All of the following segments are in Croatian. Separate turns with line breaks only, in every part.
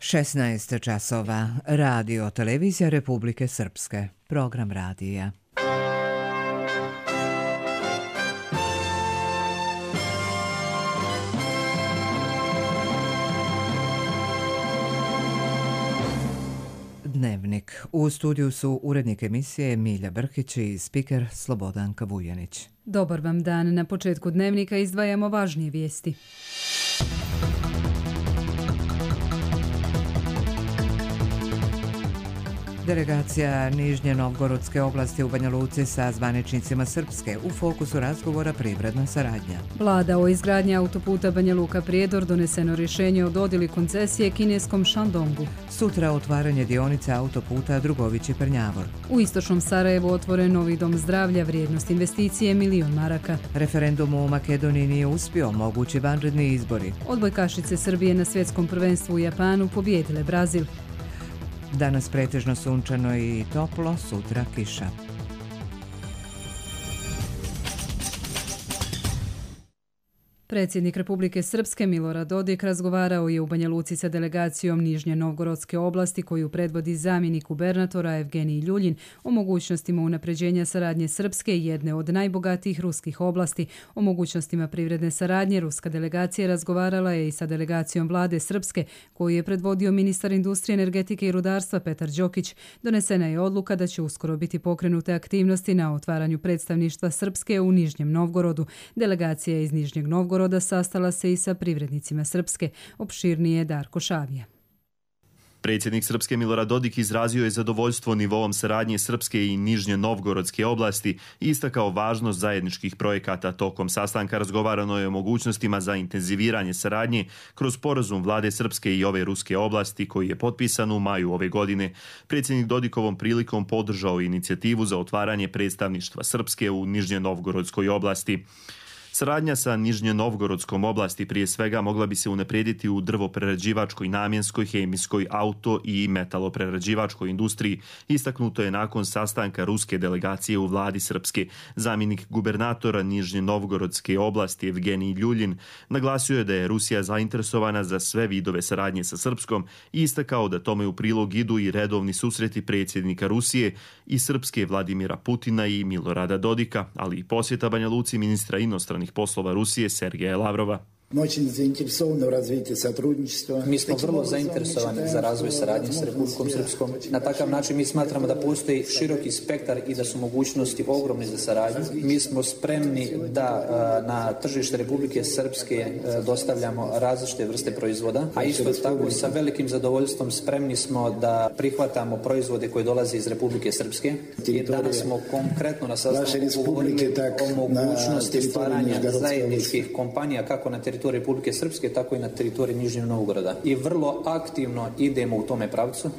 16 časova. Radio Televizija Republike Srpske. Program radija. Dnevnik. U studiju su urednik emisije Milja Brkić i spiker Slobodanka Vujanić.
Dobar vam dan. Na početku dnevnika izdvajamo važnije vijesti.
Delegacija Nižnje Novgorodske oblasti u Banja Luci sa zvaničnicima Srpske u fokusu razgovora privredna saradnja.
Vlada o izgradnji autoputa Banja Luka-Prijedor doneseno rješenje o dodjeli koncesije kineskom Shandongu.
Sutra otvaranje dionice autoputa Drugovići-Prnjavor.
U istočnom Sarajevu otvoren novi dom zdravlja, vrijednost investicije $1.000.000 maraka.
Referendum u Makedoniji nije uspio, mogući vanredni izbori.
Odbojkašice Srbije na svjetskom prvenstvu u Japanu pobijedile Brazil.
Danas pretežno sunčano i toplo, sutra kiša.
Predsjednik Republike Srpske Milorad Dodik razgovarao je u Banja Luci sa delegacijom Nižnje Novgorodske oblasti koju predvodi zamjenik gubernatora Evgenij Ljuljin o mogućnostima unapređenja saradnje Srpske, jedne od najbogatijih ruskih oblasti. O mogućnostima privredne saradnje ruska delegacija razgovarala je i sa delegacijom vlade Srpske koju je predvodio ministar industrije, energetike i rudarstva Petar Đokić. Donesena je odluka da će uskoro biti pokrenute aktivnosti na otvaranju predstavništva Srpske u Nižnjem Novgorodu. Delegacija iz Nižnjeg Novgoroda sastala se i sa privrednicima Srpske. Opširnije Darko Šavija.
Predsjednik Srpske Milorad Dodik izrazio je zadovoljstvo nivoom saradnje Srpske i Nižnje Novgorodske oblasti i istakao važnost zajedničkih projekata. Tokom sastanka razgovarano je o mogućnostima za intenziviranje saradnje kroz sporazum vlade Srpske i ove ruske oblasti koji je potpisan u maju ove godine. Predsjednik Dodik ovom prilikom podržao inicijativu za otvaranje predstavništva Srpske u Nižnje Novgorodskoj oblasti. Saradnja sa Nižnje Novgorodskom oblasti prije svega mogla bi se unaprijediti u drvoprerađivačkoj, namjenskoj, hemijskoj, auto i metaloprerađivačkoj industriji. Istaknuto je nakon sastanka ruske delegacije u vladi Srpske. Zamjenik gubernatora Nižnje Novgorodske oblasti Evgenij Ljuljin naglasio je da je Rusija zainteresovana za sve vidove saradnje sa Srpskom i istakao da tome u prilog idu i redovni susreti predsjednika Rusije i Srpske Vladimira Putina i Milorada Dodika, ali i posjeta Banja Luci ministra inostranih poslova Rusije Sergeja Lavrova.
Mi smo vrlo zainteresovani za razvoj saradnje s Republikom Srpskom. Na takav način mi smatramo da postoji široki spektar i da su mogućnosti ogromne za saradnju. Mi smo spremni da na tržište Republike Srpske dostavljamo različite vrste proizvoda, a isto tako sa velikim zadovoljstvom spremni smo da prihvatamo proizvode koje dolaze iz Republike Srpske. I danas smo konkretno na sastanku govorili o mogućnosti stvaranja zajedničkih kompanija kako na teritoriju Republike Srpske, tako i na teritoriji Nižnjeg Novgoroda. I vrlo aktivno idemo u tome pravcu.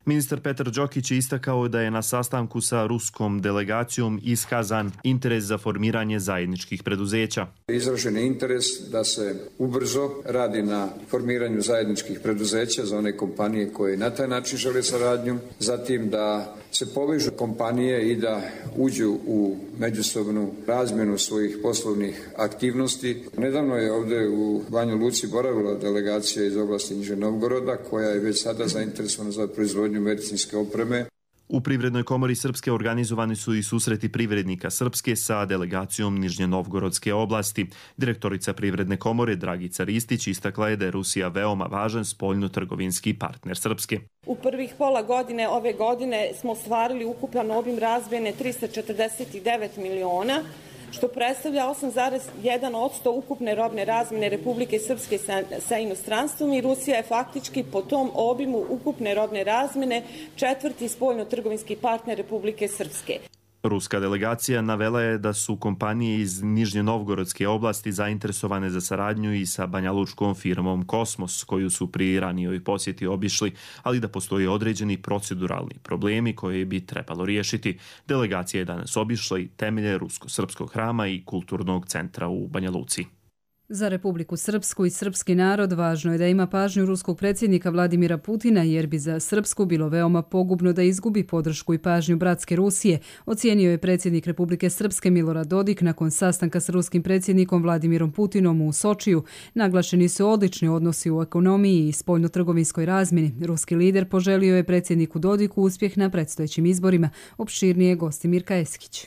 Ministar Petar Đokić je istakao da je na sastanku sa ruskom delegacijom iskazan interes za formiranje zajedničkih preduzeća.
Izražen je interes da se ubrzo radi na formiranju zajedničkih preduzeća za one kompanije koje na taj način žele saradnju, zatim da se povežu kompanije i da uđu u međusobnu razmjenu svojih poslovnih aktivnosti. Nedavno je ovdje u Banja Luci boravila delegacija iz oblasti Nižnjeg Novgoroda koja je već sada zainteresovana za proizvodnju medicinske opreme.
U Privrednoj komori Srpske organizovani su i susreti privrednika Srpske sa delegacijom Nižnje Novgorodske oblasti. Direktorica Privredne komore Dragica Ristić istakla je da je Rusija veoma važan spoljno-trgovinski partner Srpske.
U prvih pola godine ove godine smo ostvarili ukupan obim razmjene 349 miliona, što predstavlja 8,1% ukupne robne razmjene Republike Srpske sa inostranstvom i Rusija je faktički po tom obimu ukupne robne razmjene četvrti spoljno-trgovinski partner Republike Srpske.
Ruska delegacija navela je da su kompanije iz Nižnje Novgorodske oblasti zainteresovane za saradnju i sa banjalučkom firmom Kosmos, koju su pri ranijoj posjeti obišli, ali da postoje određeni proceduralni problemi koje bi trebalo riješiti. Delegacija je danas obišla i temelje Rusko-srpskog hrama i kulturnog centra u Banja Luci.
Za Republiku Srpsku i srpski narod važno je da ima pažnju ruskog predsjednika Vladimira Putina, jer bi za Srpsku bilo veoma pogubno da izgubi podršku i pažnju bratske Rusije, ocijenio je predsjednik Republike Srpske Milorad Dodik nakon sastanka s ruskim predsjednikom Vladimirom Putinom u Sočiju. Naglašeni su odlični odnosi u ekonomiji i spoljnotrgovinskoj razmjeni. Ruski lider poželio je predsjedniku Dodiku uspjeh na predstojećim izborima. Opširnije gosti Mirka Eskić.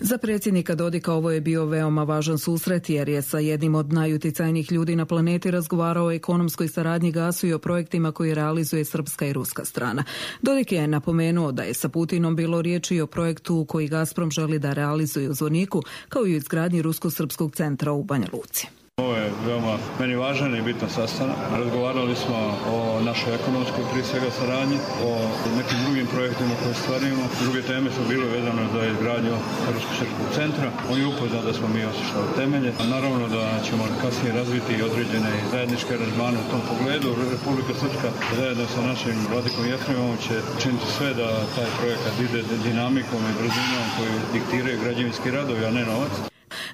Za predsjednika Dodika ovo je bio veoma važan susret jer je sa jednim od najuticajnijih ljudi na planeti razgovarao o ekonomskoj saradnji gasu i o projektima koje realizuje srpska i ruska strana. Dodik je napomenuo da je sa Putinom bilo riječi o projektu koji Gazprom želi da realizuje u Zvorniku, kao i u izgradnji Rusko-srpskog centra u Banja Luci.
Ovo je veoma meni važan i bitan sastanak. Razgovarali smo o našoj ekonomskoj prije svega saradnji, o nekim drugim projektima koje stvarimo. Druge teme su bile vezane za izgradnju Rusko-srpskog centra. On je upoznat da smo mi osjećali temelje. Naravno da ćemo kasnije razviti određene zajedničke aranžmane u tom pogledu. Republika Srpska zajedno sa našim Vladikom Jefremovom će činiti sve da taj projekat ide dinamikom i brzinom koju diktiraju građevinski radovi, a ne novac.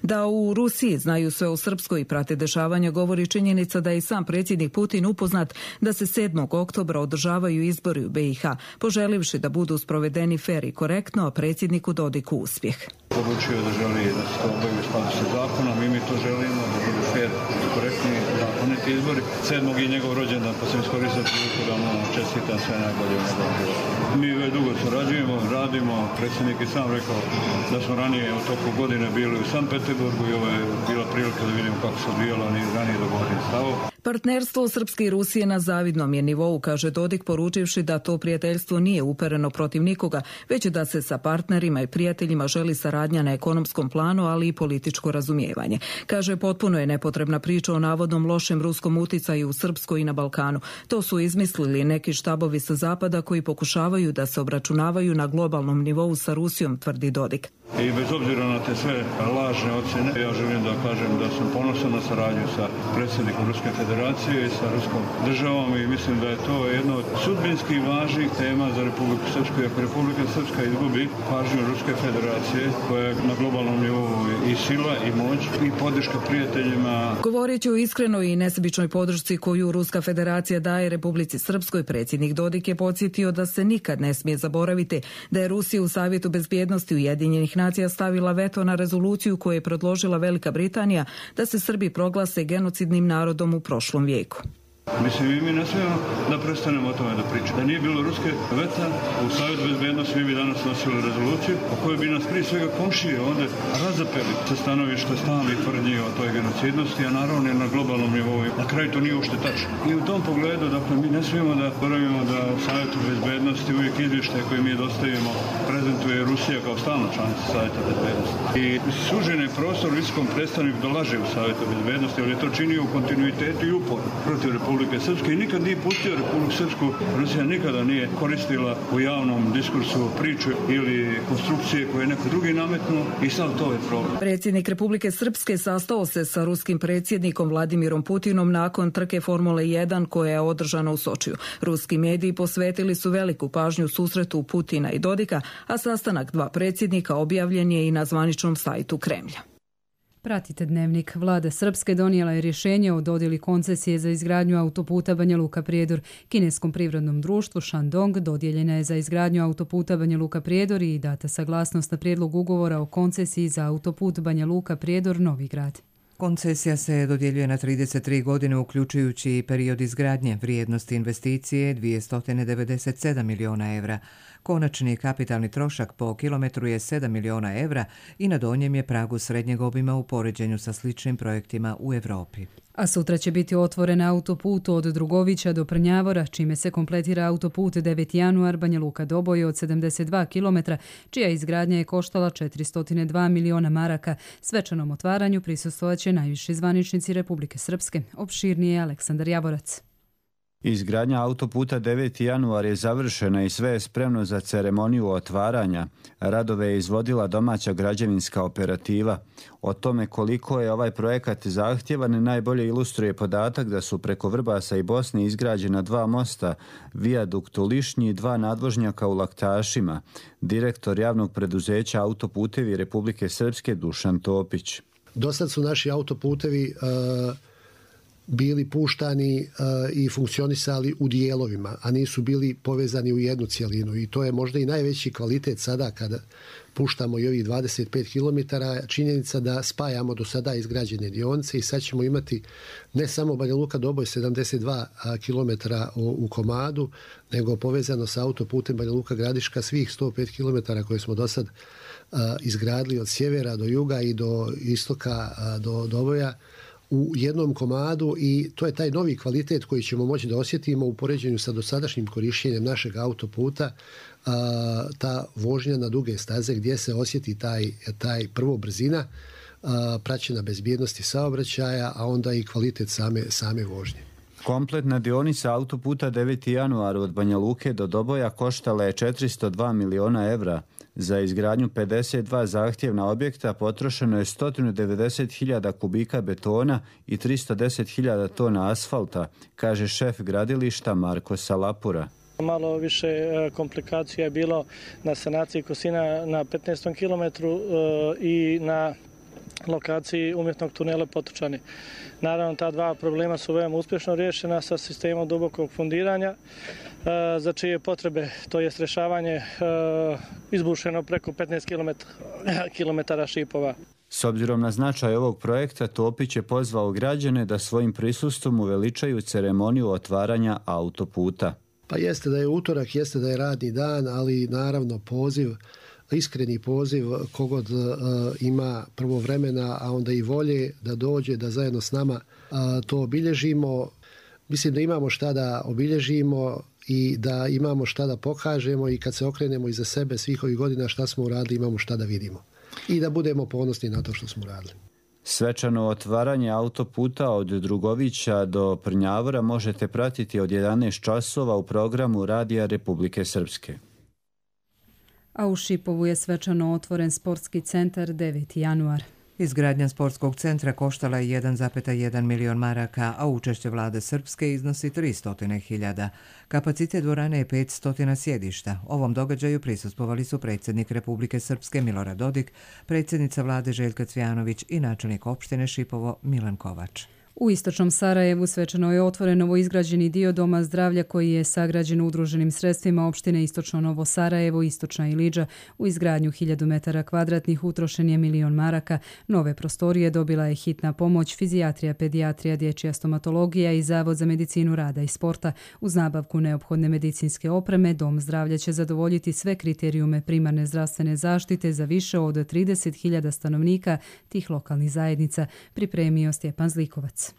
Da u Rusiji znaju sve o Srpskoj i prate dešavanja govori činjenica da je i sam predsjednik Putin upoznat da se 7. oktobra održavaju izbori u BiH, poželivši da budu sprovedeni fer i korektno, a predsjedniku Dodiku uspjeh.
Poručio da želi da se to obavi u skladu sa zakonom i mi to želimo, da budu fer i korektni zakoniti izbori. 7. je njegov rođendan, pa sam iskoristio priliku da mu čestitam sve najbolje u njegovom životu. Mi već dugo surađujemo, radimo, predsjednik je sam rekao da smo ranije u toku godine bili u Sankt Peterburgu i ovo je bila prilika da vidimo kako se odvijalo ni ranije dogovoreni stavo.
Partnerstvo Srpske i Rusije na zavidnom je nivou, kaže Dodik, poručivši da to prijateljstvo nije upereno protiv nikoga, već da se sa partnerima i prijateljima želi saradnja na ekonomskom planu, ali i političko razumijevanje. Kaže, potpuno je nepotrebna priča o navodnom lošem ruskom uticaju u Srpskoj i na Balkanu. To su izmislili neki štabovi sa zapada koji pokušavaju da se obračunavaju na globalnom nivou sa Rusijom, tvrdi Dodik.
I bez obzira na te sve lažne ocjene, ja želim da kažem da sam ponosan na saradnju sa predsjednikom Ruske federacije i sa ruskom državom i mislim da je to jedno od sudbinskih važnih tema za Republiku Srpsku. Ako Republika Srpska izgubi pažnju Ruske federacije, koja je na globalnom nivou i sila i moć i podrška prijateljima.
Govoreći o iskrenoj i nesebičnoj podršci koju Ruska federacija daje Republici Srpskoj, predsjednik Dodik je podsjetio da se nikad ne smije zaboraviti da je Rusija u Savjetu bezbjednosti Ujedinjenih nacija stavila veto na rezoluciju koju je predložila Velika Britanija da se Srbi proglase genocidnim narodom u prošlom vijeku.
Mislim, mi ne smijemo da prestanemo o tome da pričamo. Da nije bilo ruske veta u Savjetu bezbjednosti, mi bi danas nosili rezoluciju o kojoj bi nas prije svega komšije ovdje razapeli sa stanovišta stalnih tvrdnji o toj genocidnosti, a naravno je na globalnom nivou. Na kraju to nije uopšte tačno. I u tom pogledu, dakle, mi ne smijemo da boravimo da Savjetu bezbjednosti uvijek izvještaje koje mi dostavimo prezentuje Rusija kao stalna članica Savjeta bezbjednosti. I sužen je prostor visokom predstavniku da laže u Savjetu bezbjednosti, ali je to činio u kontinuitetu i uporu protiv Republike Srpske i nikad nije pustio Republiku Srpsku. Rusija nikada nije koristila u javnom diskursu priču ili konstrukcije koje je neko drugi nametnuo i sad to je problem.
Predsjednik Republike Srpske sastao se sa ruskim predsjednikom Vladimirom Putinom nakon trke Formule 1 koja je održana u Sočiju. Ruski mediji posvetili su veliku pažnju susretu Putina i Dodika, a sastanak dva predsjednika objavljen je i na zvaničnom sajtu Kremlja.
Pratite Dnevnik. Vlada Srpske donijela je rješenje o dodjeli koncesije za izgradnju autoputa Banja Luka-Prijedor. Kineskom privrednom društvu Shandong dodijeljena je za izgradnju autoputa Banja Luka-Prijedor i data saglasnost na prijedlog ugovora o koncesiji za autoput Banja Luka-Prijedor Novi Grad.
Koncesija se dodjeljuje na 33 godine, uključujući i period izgradnje. Vrijednosti investicije 297 miliona evra. Konačni kapitalni trošak po kilometru je 7 miliona evra i na donjem je pragu srednjeg obima u poređenju sa sličnim projektima u Europi.
A sutra će biti otvoren autoput od Drugovića do Prnjavora, čime se kompletira autoput 9. januar Banja Luka-Doboj od 72 km, čija izgradnja je koštala 402 miliona maraka. Svečanom otvaranju prisustvovaće najviši zvaničnici Republike Srpske. Opširnije Aleksandar Javorac.
Izgradnja autoputa 9. januar je završena i sve je spremno za ceremoniju otvaranja. Radove je izvodila domaća građevinska operativa. O tome koliko je ovaj projekat zahtjevan najbolje ilustruje podatak da su preko Vrbasa i Bosne izgrađena 2 mosta, vijadukt u Lišnji i 2 nadvožnjaka u Laktašima. Direktor javnog preduzeća Autoputevi Republike Srpske Dušan Topić.
Do sad su naši autoputevi bili puštani i funkcionisali u dijelovima, a nisu bili povezani u jednu cjelinu. I to je možda i najveći kvalitet sada kada puštamo i ovih 25 km. Činjenica da spajamo do sada izgrađene dionice i sad ćemo imati ne samo Banja Luka Doboj 72 km u komadu, nego povezano sa autoputem Banja Luka Gradiška svih 105 km koje smo do sad izgradili od sjevera do juga i do istoka do Doboja u jednom komadu, i to je taj novi kvalitet koji ćemo moći da osjetimo u poređenju sa dosadašnjim korištenjem našeg autoputa, ta vožnja na duge staze gdje se osjeti taj prvo brzina, praćena bezbjednosti saobraćaja, a onda i kvalitet same vožnje.
Kompletna dionica autoputa 9. januar od Banja Luke do Doboja koštala je 402 miliona evra. Za izgradnju 52 zahtjevna objekta potrošeno je 190.000 kubika betona i 310.000 tona asfalta, kaže šef gradilišta Marko Salapura.
Malo više komplikacija je bilo na sanaciji Kosina na 15. kilometru i na lokaciji umjetnog tunela Potočani. Naravno, ta dva problema su veoma uspješno riješena sa sistemom dubokog fundiranja, za čije potrebe, to je rješavanje, izbušeno preko 15 km šipova.
S obzirom na značaj ovog projekta, Topić je pozvao građane da svojim prisustvom uveličaju ceremoniju otvaranja autoputa.
Pa jeste da je utorak, jeste da je radni dan, ali naravno iskreni poziv kogod ima prvo vremena, a onda i volje da dođe, da zajedno s nama to obilježimo. Mislim da imamo šta da obilježimo i da imamo šta da pokažemo, i kad se okrenemo iza sebe svih ovih godina šta smo uradili, imamo šta da vidimo. I da budemo ponosni na to što smo uradili.
Svečano otvaranje autoputa od Drugovića do Prnjavora možete pratiti od 11 časova u programu Radija Republike Srpske.
A u Šipovu je svečano otvoren sportski centar 9. januar.
Izgradnja sportskog centra koštala je 1,1 milion maraka, a učešće vlade Srpske iznosi 300.000. Kapacitet dvorane je 500 sjedišta. Ovom događaju prisustvovali su predsjednik Republike Srpske Milorad Dodik, predsjednica vlade Željka Cvjanović i načelnik opštine Šipovo Milan Kovač.
U istočnom Sarajevu svečano je otvoren novoizgrađeni dio Doma zdravlja koji je sagrađen udruženim sredstvima opštine Istočno Novo Sarajevo, Istočna Ilidža. U izgradnju 1000 metara kvadratnih utrošen je 1 milion maraka. Nove prostorije dobila je hitna pomoć, fizijatrija, pedijatrija, dječja stomatologija i Zavod za medicinu rada i sporta. Uz nabavku neophodne medicinske opreme, Dom zdravlja će zadovoljiti sve kriterijume primarne zdravstvene zaštite za više od 30.000 stanovnika tih lokalnih zajednica, pripremio Stjepan Zlikovac.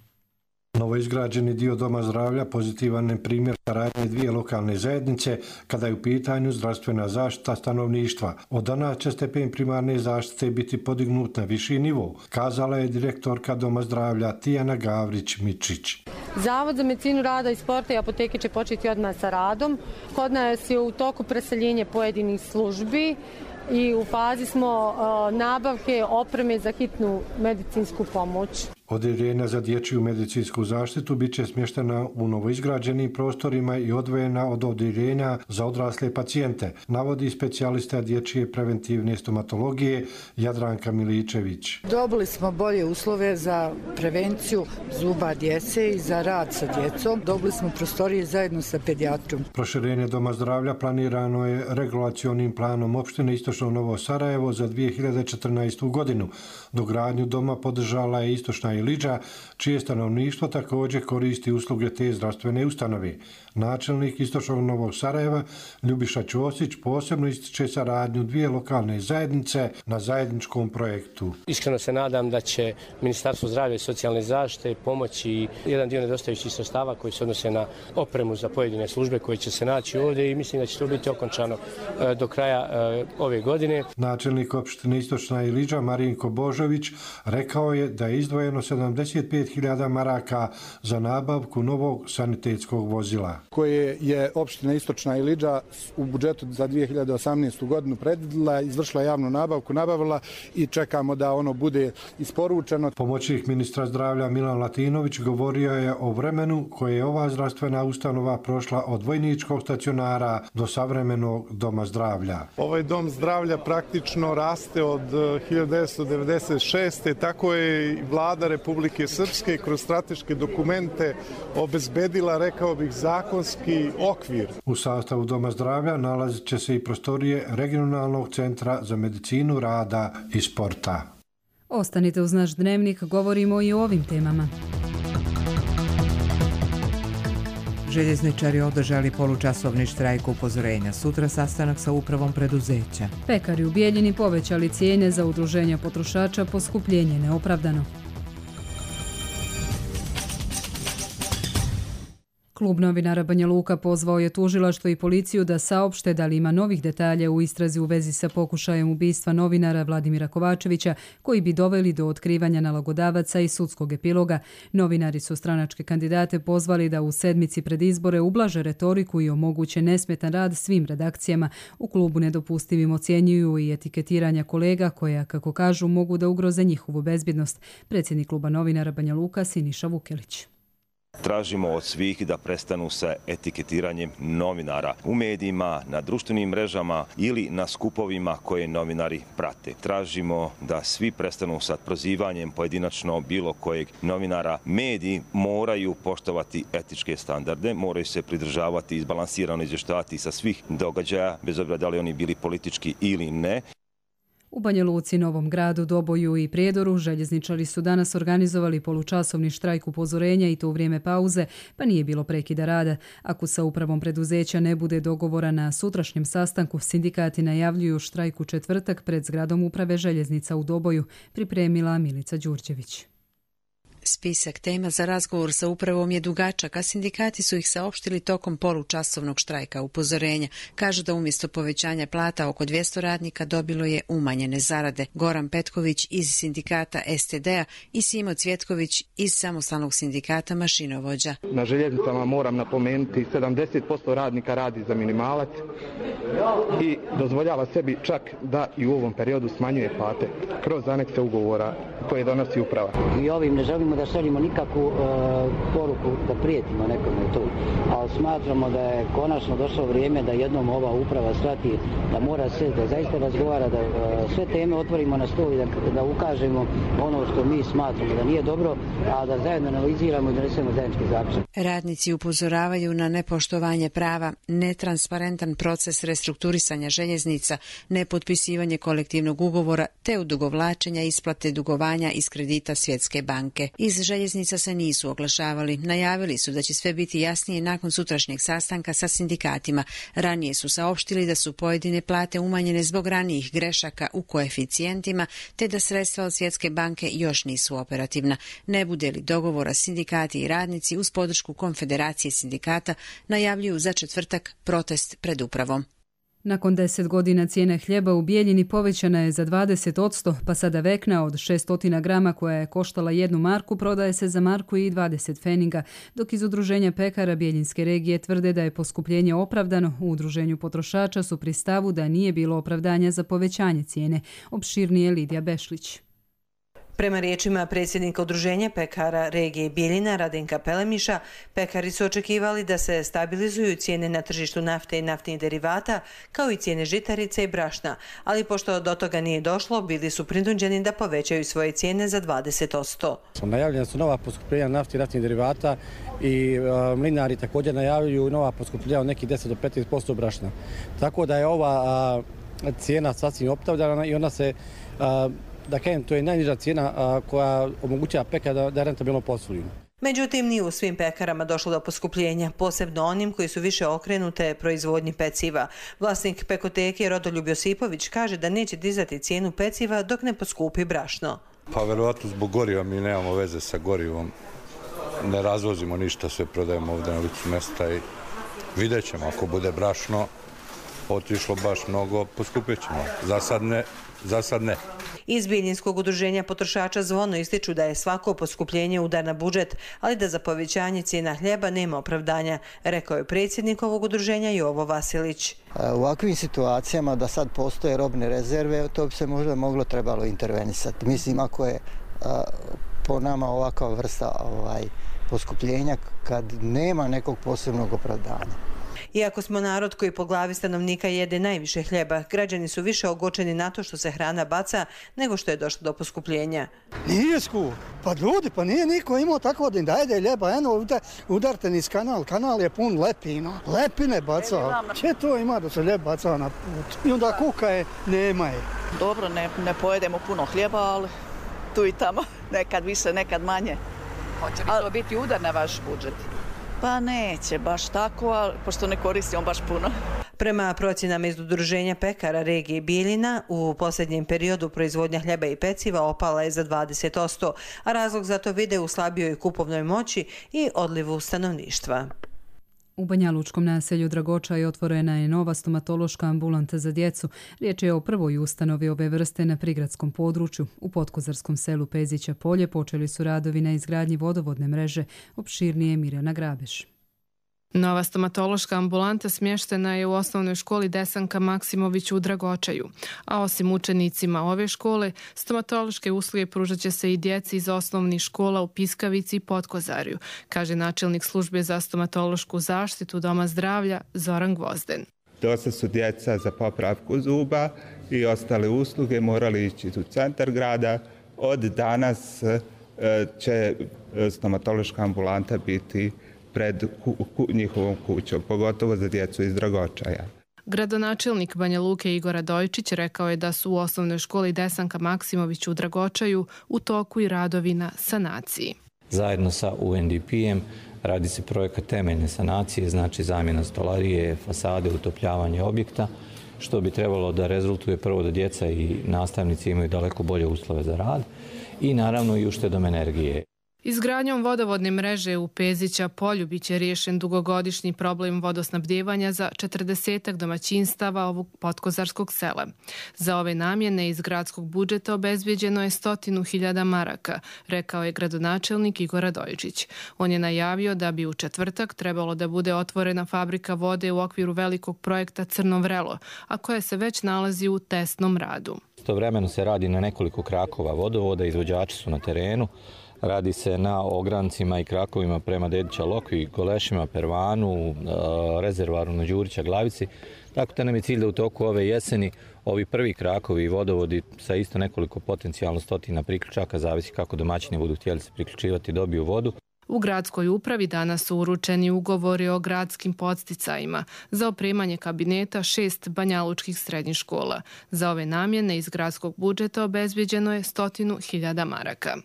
Novoizgrađeni dio Doma zdravlja pozitivan je primjer saradnje dvije lokalne zajednice kada je u pitanju zdravstvena zaštita stanovništva. Od danas će stepen primarne zaštite biti podignut na viši nivo, kazala je direktorka Doma zdravlja Tijana Gavrić-Mičić.
Zavod za medicinu rada i sporta i apoteke će početi odmah sa radom. Kod nas je u toku preseljenje pojedinih službi i u fazi smo nabavke opreme za hitnu medicinsku pomoć.
Odeljenja za dječju medicinsku zaštitu bit će smještena u novoizgrađenim prostorima i odvojena od odeljenja za odrasle pacijente, navodi specijalista dječje preventivne stomatologije Jadranka Miličević.
Dobili smo bolje uslove za prevenciju zuba djece i za rad sa djecom. Dobili smo prostorije zajedno sa pedijatrom.
Proširenje Doma zdravlja planirano je regulacionim planom opštine Istočno Novo Sarajevo za 2014. godinu. Dogradnju doma podržala je Istočna Ilidža, čije stanovništvo također koristi usluge te zdravstvene ustanove. Načelnik Istočnog Novog Sarajeva Ljubiša Ćosić posebno ističe saradnju dvije lokalne zajednice na zajedničkom projektu.
Iskreno se nadam da će Ministarstvo zdravlja i socijalne zaštite pomoći jedan dio nedostajućih sredstava koji se odnose na opremu za pojedine službe koje će se naći ovdje i mislim da će to biti okončano do kraja ove godine.
Načelnik opštine Istočna Ilidža Marinko Božović rekao je da je izdvojeno osiguralo 75.000 maraka za nabavku novog sanitetskog vozila.
Koje je opština Istočna Iliđa u budžetu za 2018. godinu predvidjela, izvršila javnu nabavku, nabavila i čekamo da ono bude isporučeno.
Pomoćnik ministra zdravlja Milan Latinović govorio je o vremenu koje je ova zdravstvena ustanova prošla od vojničkog stacionara do savremenog doma zdravlja.
Ovaj dom zdravlja praktično raste od 1996. Tako je i vlada Republike Srpske kroz strateške dokumente obezbedila, rekao bih, zakonski okvir.
U sastavu doma zdravlja nalazit će se i prostorije Regionalnog centra za medicinu rada i sporta.
Ostanite uz naš dnevnik, govorimo i o ovim temama.
Željezničari održali polučasovni štrajk upozorenja. Sutra sastanak sa upravom preduzeća.
Pekari u Bijeljini povećali cijene za udruženja potrošača, poskupljenje neopravdano. Klub novinara Banja Luka pozvao je tužilaštvo i policiju da saopšte da li ima novih detalja u istrazi u vezi sa pokušajem ubistva novinara Vladimira Kovačevića, koji bi doveli do otkrivanja nalogodavaca i sudskog epiloga. Novinari su stranačke kandidate pozvali da u sedmici pred izbore ublaže retoriku i omoguće nesmetan rad svim redakcijama. U klubu nedopustivim ocjenjuju i etiketiranja kolega koja, kako kažu, mogu da ugroze njihovu bezbjednost. Predsjednik kluba novinara Banja Luka Siniša Vukelić.
Tražimo od svih da prestanu sa etiketiranjem novinara u medijima, na društvenim mrežama ili na skupovima koje novinari prate. Tražimo da svi prestanu sa prozivanjem pojedinačno bilo kojeg novinara. Mediji moraju poštovati etičke standarde, moraju se pridržavati i izbalansirano izvještavati sa svih događaja, bez obzira da li oni bili politički ili ne.
U Banja Luci, Novom Gradu, Doboju i Prijedoru željezničari su danas organizovali polučasovni štrajk upozorenja i to u vrijeme pauze, pa nije bilo prekida rada. Ako sa upravom preduzeća ne bude dogovora na sutrašnjem sastanku, sindikati najavljuju štrajk u četvrtak pred zgradom uprave željeznica u Doboju, pripremila Milica Đurđević.
Spisak tema za razgovor sa upravom je dugačak, a sindikati su ih saopštili tokom polučasovnog štrajka upozorenja. Kažu da umjesto povećanja plata oko 200 radnika dobilo je umanjene zarade. Goran Petković iz sindikata STD-a i Simo Cvjetković iz samostalnog sindikata mašinovođa.
Na željeznicama moram napomenuti 70% radnika radi za minimalac i dozvoljava sebi čak da i u ovom periodu smanjuje plate kroz anekse ugovora koje donosi uprava.
I ovim ne želimo da šaljimo nikakvu poruku da prijetimo nekome tu, ali smatramo da je konačno došlo vrijeme da jednom ova uprava shvati da mora se da zaista razgovara, da sve teme otvorimo na stol i da ukažemo ono što mi smatramo da nije dobro, a da zajedno analiziramo i donesemo zajednički zaključak.
Radnici upozoravaju na nepoštovanje prava, netransparentan proces restrukturisanja željeznica, nepotpisivanje kolektivnog ugovora te odugovlačenja isplate dugovanja iz kredita Svjetske banke. Iz željeznica se nisu oglašavali. Najavili su da će sve biti jasnije nakon sutrašnjeg sastanka sa sindikatima. Ranije su saopštili da su pojedine plate umanjene zbog ranijih grešaka u koeficijentima, te da sredstva od Svjetske banke još nisu operativna. Ne bude li dogovora, sindikati i radnici uz podršku Konfederacije sindikata najavljuju za četvrtak protest pred upravom.
Nakon 10 godina cijena hljeba u Bijeljini povećana je za 20%, pa sada vekna od 600 grama koja je koštala 1 marku prodaje se za marku i 20 feninga, dok iz Udruženja pekara Bijeljinske regije tvrde da je poskupljenje opravdano. U Udruženju potrošača su pri stavu da nije bilo opravdanja za povećanje cijene. Opširnije Lidija Bešlić.
Prema riječima predsjednika Udruženja pekara regije Bijeljina Radenka Pelemiša, pekari su očekivali da se stabilizuju cijene na tržištu nafte i naftnih derivata, kao i cijene žitarice i brašna, ali pošto do toga nije došlo, bili su prinuđeni da povećaju svoje cijene za 20%.
Najavljena su nova poskupljenja nafte i naftnih derivata i mlinari također najavljuju nova poskupljenja od nekih 10 do 15% brašna. Tako da je ova cijena sasvim opravdana i ona se da kažem, to je najniža cijena koja omogućava pekara da rentabilno posluju.
Međutim, nije u svim pekarama došlo do poskupljenja, posebno onim koji su više okrenute proizvodnji peciva. Vlasnik pekoteke Rodoljub Josipović kaže da neće dizati cijenu peciva dok ne poskupi brašno.
Pa verovatno zbog goriva, mi nemamo veze sa gorivom. Ne razvozimo ništa, sve prodajemo ovdje na licu mjesta i vidjet ćemo ako bude brašno otišlo baš mnogo, poskupit ćemo. Za sad ne.
Iz Bijeljinskog udruženja potrošača Zvono ističu da je svako poskupljenje udar na budžet, ali da za povećanje cijena hljeba nema opravdanja, rekao je predsjednik ovog udruženja Jovo Vasilić.
U ovakvim situacijama da sad postoje robne rezerve, to bi se možda trebalo intervenisati. Mislim, ako je po nama ovakva vrsta poskupljenja kad nema nekog posebnog opravdanja.
Iako smo narod koji po glavi stanovnika jede najviše hljeba, građani su više ogorčeni na to što se hrana baca nego što je došlo do poskupljenja.
Nije skup. Pa ljudi, pa nije niko imao tako da im dajde hljeba. Eno, udarte niz kanal. Kanal je pun lepina. Lepine baca. Če to ima da se hljeb baca na put? I onda kuka je, nema je.
Dobro, ne pojedemo puno hljeba, ali tu i tamo. Nekad više, nekad manje.
Hoće li to biti udar na vaš budžet?
Pa neće baš tako, ali pošto ne koristimo baš puno.
Prema procjenama iz udruženja pekara regije Bijeljina, u posljednjem periodu proizvodnja hljeba i peciva opala je za 20%, a razlog za to vide u slabijoj kupovnoj moći i odlivu stanovništva.
U banjalučkom naselju Dragočaj otvorena je nova stomatološka ambulanta za djecu. Riječ je o prvoj ustanovi ove vrste na prigradskom području. U podkozarskom selu Pezića Polje počeli su radovi na izgradnji vodovodne mreže. Opširnije Mirjana Grabeš.
Nova stomatološka ambulanta smještena je u osnovnoj školi Desanka Maksimović u Dragočaju, a osim učenicima ove škole, stomatološke usluge pružat će se i djeci iz osnovnih škola u Piskavici i Podkozarju, kaže načelnik službe za stomatološku zaštitu Doma zdravlja Zoran Gvozden.
Dosta su djeca za popravku zuba i ostale usluge morali ići u centar grada. Od danas će stomatološka ambulanta biti pred njihovom kućom, pogotovo za djecu iz Dragočaja.
Gradonačelnik Banja Luke Igor Radojičić rekao je da su u osnovnoj školi Desanka Maksimović u Dragočaju u toku i radovi na sanaciji.
Zajedno sa UNDP-em radi se projekat temeljne sanacije, znači zamjena stolarije, fasade, utopljavanje objekta, što bi trebalo da rezultuje prvo da djeca i nastavnici imaju daleko bolje uslove za rad i naravno i uštedom energije.
Izgradnjom vodovodne mreže u Pezića Polju biće riješen dugogodišnji problem vodosnabdijevanja za 40 domaćinstava ovog podkozarskog sela. Za ove namjene iz gradskog budžeta obezbijeđeno je 100.000 maraka, rekao je gradonačelnik Igor Radojičić. On je najavio da bi u četvrtak trebalo da bude otvorena fabrika vode u okviru velikog projekta Crno vrelo, a koja se već nalazi u testnom radu.
Istovremeno se radi na nekoliko krakova vodovoda, izvođači su na terenu. Radi se na ograncima i krakovima prema Dedića Lokvi, Golešima, Pervanu, rezervaru na Đurića Glavici. Tako da nam je cilj da u toku ove jeseni ovi prvi krakovi i vodovodi sa isto nekoliko potencijalno stotina priključaka, zavisi kako domaćini budu htjeli se priključivati, dobiju vodu.
U gradskoj upravi danas su uručeni ugovori o gradskim podsticajima za opremanje kabineta 6 banjalučkih srednjih škola. Za ove namjene iz gradskog budžeta obezbijeđeno je 100.000 maraka.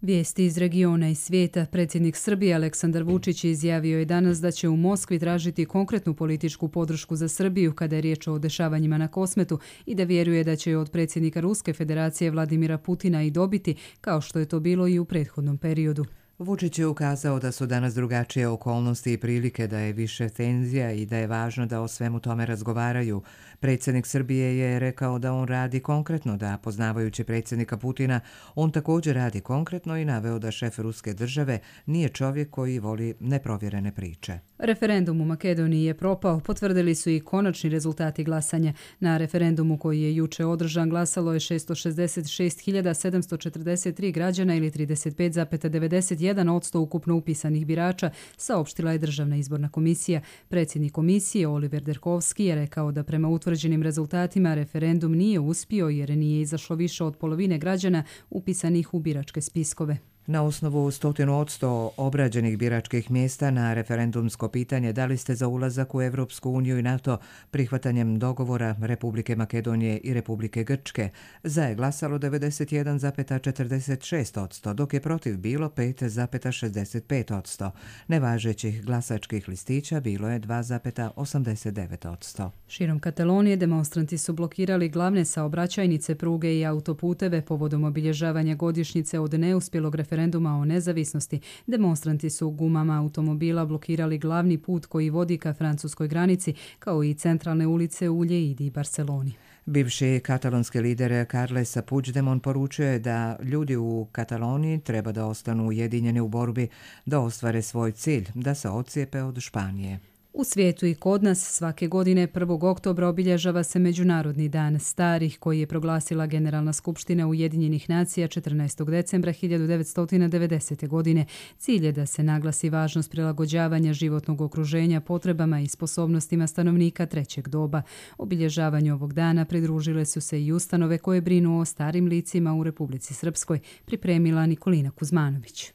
Vijesti iz regiona i svijeta. Predsjednik Srbije Aleksandar Vučić izjavio je danas da će u Moskvi tražiti konkretnu političku podršku za Srbiju kada je riječ o dešavanjima na Kosmetu i da vjeruje da će od predsjednika Ruske federacije Vladimira Putina i dobiti, kao što je to bilo i u prethodnom periodu.
Vučić je ukazao da su danas drugačije okolnosti i prilike, da je više tenzija i da je važno da o svemu tome razgovaraju. Predsjednik Srbije je rekao da on radi konkretno, da poznavajući predsjednika Putina, on također radi konkretno i naveo da šef ruske države nije čovjek koji voli neprovjerene priče.
Referendum u Makedoniji je propao, potvrdili su i konačni rezultati glasanja. Na referendumu koji je juče održan glasalo je 666.743 građana ili 35,91% ukupno upisanih birača, saopštila je Državna izborna komisija. Predsjednik komisije Oliver Derkovski je rekao da prema utvrđenim rezultatima referendum nije uspio jer nije izašlo više od polovine građana upisanih u biračke spiskove.
Na osnovu 100% obrađenih biračkih mjesta na referendumsko pitanje da li ste za ulazak u Evropsku uniju i NATO prihvatanjem dogovora Republike Makedonije i Republike Grčke, za je glasalo 91,46%, dok je protiv bilo 5,65%. Nevažećih glasačkih listića bilo je 2,89%.
Širom Katalonije demonstranti su blokirali glavne saobraćajnice, pruge i autoputeve povodom obilježavanja godišnjice od neuspjelog referenduma referenduma o nezavisnosti, demonstranti su gumama automobila blokirali glavni put koji vodi ka francuskoj granici, kao i centralne ulice u Lleidi i Barceloni.
Bivši katalonski lider Carles Puigdemont poručio je da ljudi u Kataloniji treba da ostanu ujedinjeni u borbi da ostvare svoj cilj, da se odcijepe od Španije.
U svijetu i kod nas svake godine 1. oktobra obilježava se Međunarodni dan starih koji je proglasila Generalna skupština Ujedinjenih nacija 14. decembra 1990. godine. Cilj je da se naglasi važnost prilagođavanja životnog okruženja potrebama i sposobnostima stanovnika trećeg doba. Obilježavanju ovog dana pridružile su se i ustanove koje brinu o starim licima u Republici Srpskoj, pripremila Nikolina Kuzmanović.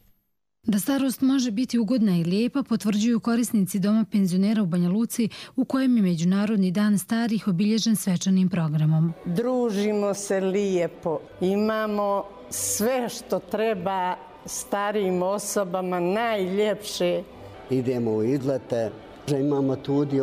Da starost može biti ugodna i lijepa potvrđuju korisnici Doma penzionera u Banja Luci, u kojem je Međunarodni dan starih obilježen svečanim programom.
Družimo se lijepo, imamo sve što treba starijim osobama najljepše.
Idemo u izlete, imamo tudi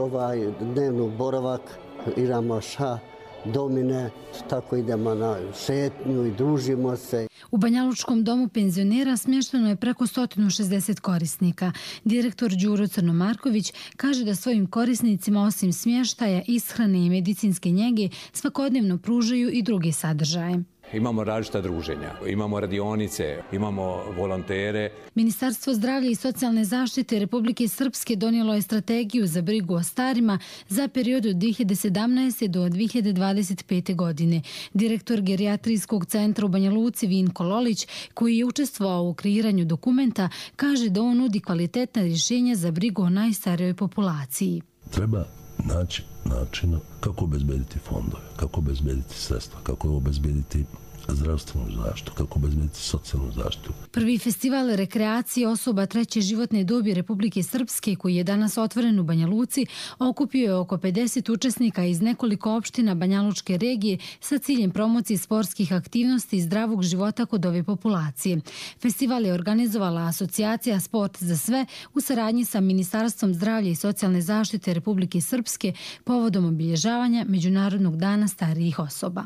dnevnu boravak, igramo ša, domine, tako idemo na šetnju i družimo se.
U Banjalučkom domu penzionera smješteno je preko 160 korisnika. Direktor Đuro Crnomarković kaže da svojim korisnicima osim smještaja, ishrane i medicinske njege svakodnevno pružaju i druge sadržaje.
Imamo različita druženja, imamo radionice, imamo volontere.
Ministarstvo zdravlja i socijalne zaštite Republike Srpske donijelo je strategiju za brigu o starima za period od 2017. do 2025. godine. Direktor gerijatrijskog centra u Banja Luci Vinko Lolić, koji je učestvovao u kreiranju dokumenta, kaže da on nudi kvalitetna rješenja za brigu o najstarijoj populaciji.
Treba naći načina kako obezbediti fondove, kako obezbediti sredstva, kako obezbediti zdravstvenu zaštitu, kako obezbediti socijalnu zaštitu.
Prvi festival rekreacije osoba treće životne dobi Republike Srpske, koji je danas otvoren u Banja Luci, okupio je oko 50 učesnika iz nekoliko opština Banjalučke regije sa ciljem promocije sportskih aktivnosti i zdravog života kod ove populacije. Festival je organizovala asocijacija Sport za sve u saradnji sa Ministarstvom zdravlja i socijalne zaštite Republike Srpske povodom obilježavanja Međunarodnog dana starijih osoba.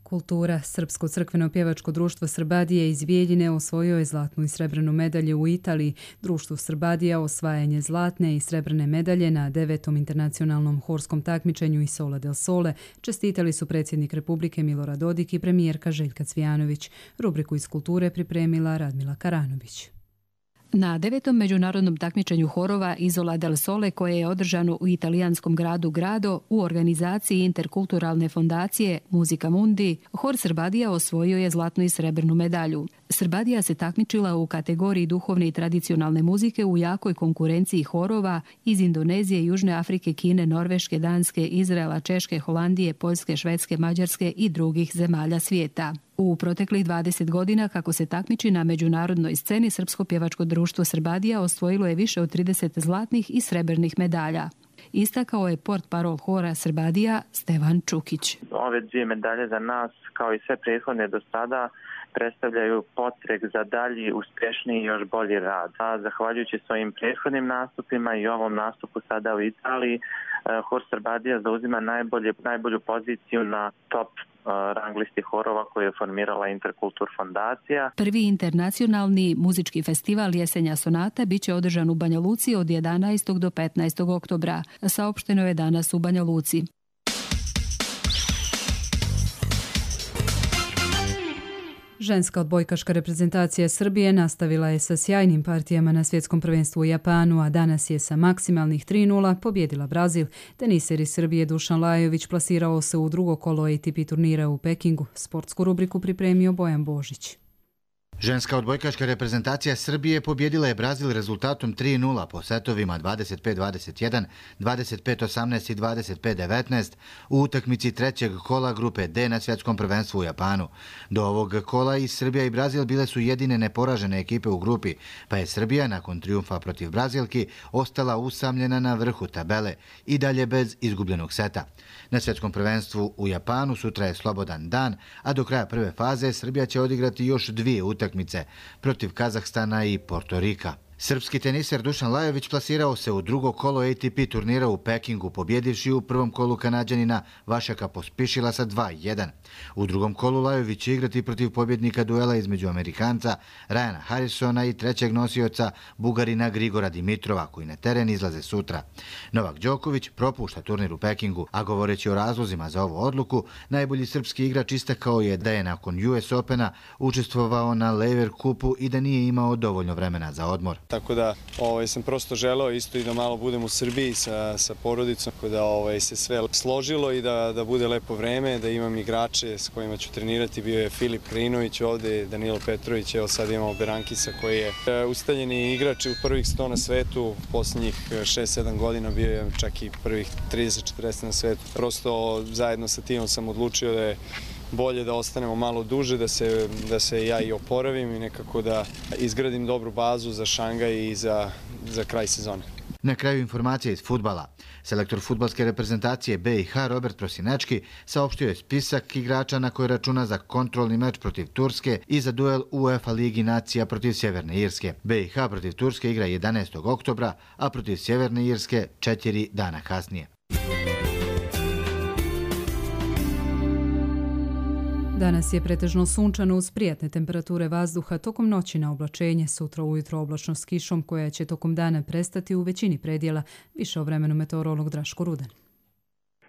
Kultura. Srpsko crkveno pjevačko društvo Srbadija iz Bijeljine osvojio je zlatnu i srebrnu medalju u Italiji. Društvo Srbadija osvajanje zlatne i srebrne medalje na 9. internacionalnom horskom takmičenju Isola del Sole čestitali su predsjednik Republike Milorad Dodik i premijerka Željka Cvijanović. Rubriku iz kulture pripremila Radmila Karanović.
Na 9. međunarodnom takmičenju horova Isola del Sole, koje je održano u italijanskom gradu Grado u organizaciji interkulturalne fondacije Muzika Mundi, hor Srbadija osvojio je zlatnu i srebrnu medalju. Srbadija se takmičila u kategoriji duhovne i tradicionalne muzike u jakoj konkurenciji horova iz Indonezije, Južne Afrike, Kine, Norveške, Danske, Izraela, Češke, Holandije, Poljske, Švedske, Mađarske i drugih zemalja svijeta. U proteklih 20 godina kako se takmiči na međunarodnoj sceni, Srpsko pjevačko društvo Srbadija osvojilo je više od 30 zlatnih i srebrnih medalja. Istakao je portparol hora Srbadija Stevan Čukić.
Ove dvije medalje za nas, kao i sve prethodne do sada, predstavljaju potreg za dalji, uspješniji i još bolji rad. A zahvaljujući svojim prethodnim nastupima i ovom nastupu sada u Italiji, hor Srbadija zauzima najbolju poziciju na top rang listi horova koju je formirala Interkultur fondacija.
Prvi internacionalni muzički festival Jesenja sonata biće održan u Banja Luci od 11. do 15. oktobra. Saopšteno je danas u Banja Luci.
Ženska odbojkaška reprezentacija Srbije nastavila je sa sjajnim partijama na svjetskom prvenstvu u Japanu, a danas je sa maksimalnih 3:0 pobjedila Brazil. Teniser iz Srbije Dušan Lajović plasirao se u drugo kolo ATP turnira u Pekingu. Sportsku rubriku pripremio Bojan Božić.
Ženska odbojkaška reprezentacija Srbije pobjedila je Brazil rezultatom 3:0 po setovima 25-21, 25-18 i 25-19 u utakmici trećeg kola grupe D na svjetskom prvenstvu u Japanu. Do ovog kola i Srbija i Brazil bile su jedine neporažene ekipe u grupi, pa je Srbija nakon trijumfa protiv Brazilki ostala usamljena na vrhu tabele i dalje bez izgubljenog seta. Na svjetskom prvenstvu u Japanu sutra je slobodan dan, a do kraja prve faze Srbija će odigrati još dvije utakmice protiv Kazahstana i Portorika. Srpski teniser Dušan Lajović plasirao se u drugo kolo ATP turnira u Pekingu, pobjedivši u prvom kolu Kanađanina Vašaka Pospišila sa 2-1. U drugom kolu Lajović će igrati protiv pobjednika duela između Amerikanca Ryana Harrisona i trećeg nosioca Bugarina Grigora Dimitrova, koji na teren izlaze sutra. Novak Đoković propušta turnir u Pekingu, a govoreći o razlozima za ovu odluku, najbolji srpski igrač istakao je da je nakon US Opena učestvovao na Lever Kupu i da nije imao dovoljno vremena za odmor.
Tako da sam prosto želeo isto i da malo budem u Srbiji sa porodicom, tako da se sve složilo i da bude lepo vreme, da imam igrače s kojima ću trenirati. Bio je Filip Krinović ovde, Danilo Petrović, evo sad imamo Berankisa koji je ustaljeni igrač u prvih 100 na svetu, posljednjih 6-7 godina bio je čak i prvih 30-40 na svetu. Prosto zajedno sa timom sam odlučio da je bolje da ostanemo malo duže, da se ja i oporavim i nekako da izgradim dobru bazu za Šangaj i za kraj sezone.
Na kraju informacije iz fudbala. Selektor fudbalske reprezentacije BiH Robert Prosinečki saopštio je spisak igrača na koje računa za kontrolni meč protiv Turske i za duel UEFA Ligi nacija protiv Sjeverne Irske. BiH protiv Turske igra 11. oktobra, a protiv Sjeverne Irske 4 dana kasnije.
Danas je pretežno sunčano uz prijatne temperature vazduha, tokom noći na oblačenje, sutra ujutro oblačno s kišom koja će tokom dana prestati u većini predjela. Više o vremenu meteorolog Draško Rudan.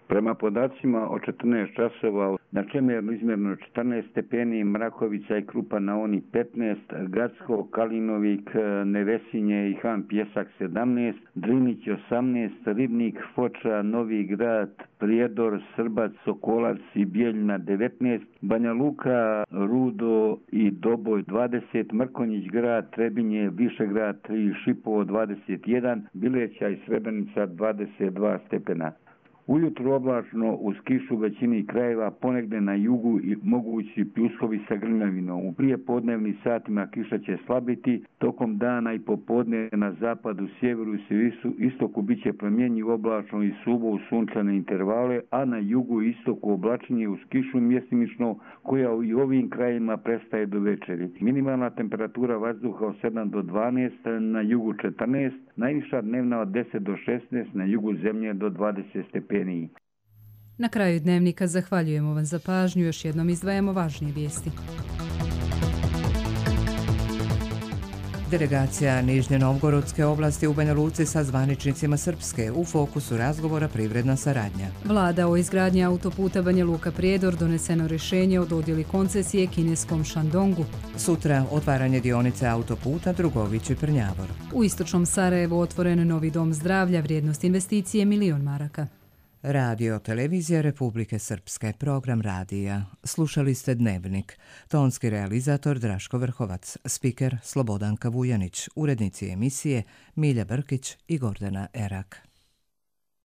Prema podacima od 14 časova na Čemernu izmjerno 14 stepeni, Mrakovica i Krupa na Oni 15, Gacko, Kalinovik, Nevesinje i Han Pjesak 17, Drinić 18, Ribnik, Foča, Novi Grad, Prijedor, Srbac, Sokolac i Bijeljina 19, Banja Luka, Rudo i Doboj 20, Mrkonjić grad, Trebinje, Višegrad i Šipovo 21, Bileća i Srebrenica 22 stepena. Ujutro oblačno uz kišu većini krajeva, ponegde na jugu i mogući pljuskovi sa grmljavinom. U prijepodnevnim satima kiša će slabiti, tokom dana i popodne na zapadu, sjeveru i istoku bit će promjenjiv oblačno i suvo u sunčane intervale, a na jugu i istoku oblačenje uz kišu mjestimično koja i u ovim krajima prestaje do večeri. Minimalna temperatura vazduha od 7 do 12, na jugu 14, najviša dnevna od 10 do 16, na jugu zemlje do 20 stepeni.
Na kraju dnevnika zahvaljujemo vam za pažnju, još jednom izdvajamo važnije vijesti.
Delegacija Nižnje Novgorodske oblasti u Banja Luci sa zvaničnicima Srpske, u fokusu razgovora privredna saradnja.
Vlada o izgradnji autoputa Banja Luka-Prijedor doneseno rješenje o dodjeli koncesije kineskom Shandongu.
Sutra otvaranje dionice autoputa Drugović-Prnjavor.
U istočnom Sarajevu otvoren novi dom zdravlja, vrijednost investicije $1 milion.
Radio Televizija Republike Srpske, program radija. Slušali ste Dnevnik. Tonski realizator Draško Vrhovac, spiker Slobodanka Vujanić, urednici emisije Milja Brkić i Gordana Erak.